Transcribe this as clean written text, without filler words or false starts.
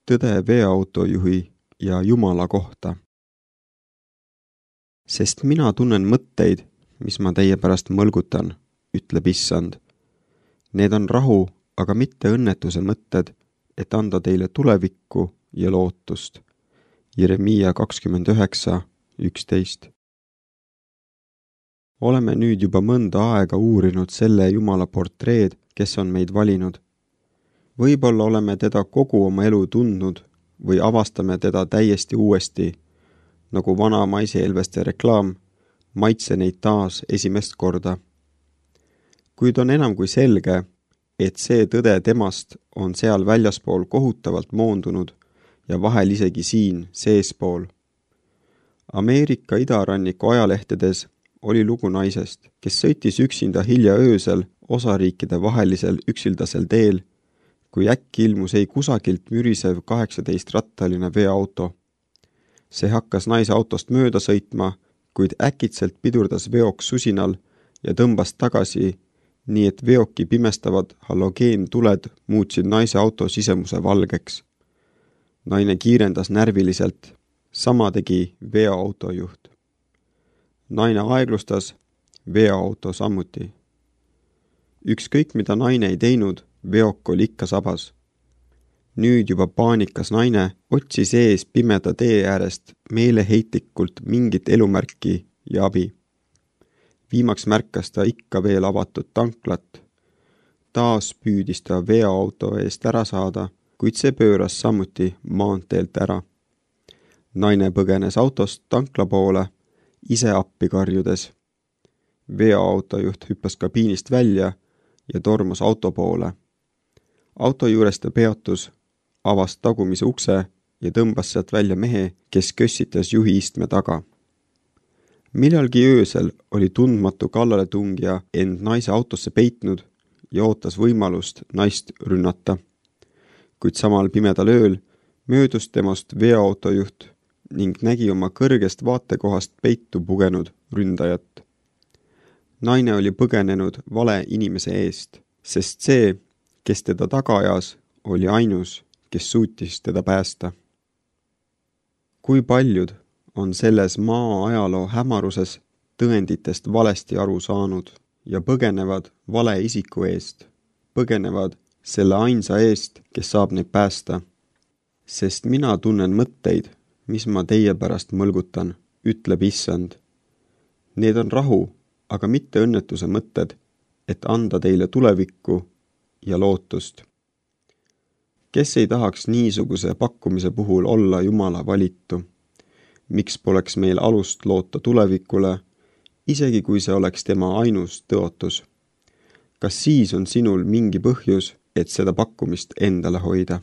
tõde veoautojuhi ja Jumala kohta. Sest mina tunnen mõtteid, mis ma teie pärast mõlgutan, ütleb Issand. Need on rahu, aga mitte õnnetuse mõtted, et anda teile tulevikku ja lootust. Jeremiia 29:11. Oleme nüüd juba mõnda aega uurinud selle Jumala portreed, kes on meid valinud. Võib-olla oleme teda kogu oma elu tundnud või avastame teda täiesti uuesti, nagu vana maiseelveste reklaam, maitse neid taas esimest korda. Kuid on enam kui selge, et see tõde temast on seal väljaspool kohutavalt moondunud ja vahel isegi siin seespool. Ameerika idaranniku ajalehtedes oli lugu naisest, kes sõitis üksinda hilja öösel osariikide vahelisel üksildasel teel, kui äkki ilmus ei kusagilt mürisev 18-rattaline veoauto. See hakkas naise autost mööda sõitma, kuid äkitselt pidurdas veok susinal ja tõmbas tagasi, nii et veoki pimestavad halogeentuled muutsid naise auto sisemuse valgeks. Naine kiirendas närviliselt, sama tegi veoautojuht. Naine aeglustas, veoauto samuti. Ükskõik mida naine ei teinud, veok oli ikka sabas. Nüüd juba paanikas naine otsis ees pimeda tee äärest meeleheitlikult mingit elumärki ja abi. Viimaks märkas ta ikka veel avatud tanklat. Taas püüdis ta veoauto eest ära saada, kuid see pööras samuti maanteelt ära. Naine põgenes autost tankla poole, ise appi karjudes. Veoautojuht hüppas kabiinist välja ja tormus auto poole. Auto juures ta peatus, avas tagumise ukse ja tõmbas sealt välja mehe, kes kössitas juhi istme taga. Millalgi öösel oli tundmatu kallaletungija end naise autosse peitnud ja ootas võimalust naist rünnata. Kuid samal pimedal ööl möödus temast veoautojuht ning nägi oma kõrgest vaatekohast peitu pugenud ründajat. Naine oli põgenenud vale inimese eest, sest see, kes teda taga ajas, oli ainus, kes suutis teda päästa. Kui paljud on selles maa ajaloo hämaruses tõenditest valesti aru saanud ja põgenevad vale isiku eest, põgenevad selle ainsa eest, kes saab neid päästa. Sest mina tunnen mõtteid, mis ma teie pärast mõlgutan, ütleb Issand. Need on rahu, aga mitte õnnetuse mõtted, et anda teile tulevikku ja lootust. Kes ei tahaks niisuguse pakkumise puhul olla Jumala valitu? Miks poleks meil alust loota tulevikule, isegi kui see oleks tema ainus tõotus? Kas siis on sinul mingi põhjus, et seda pakkumist endale hoida?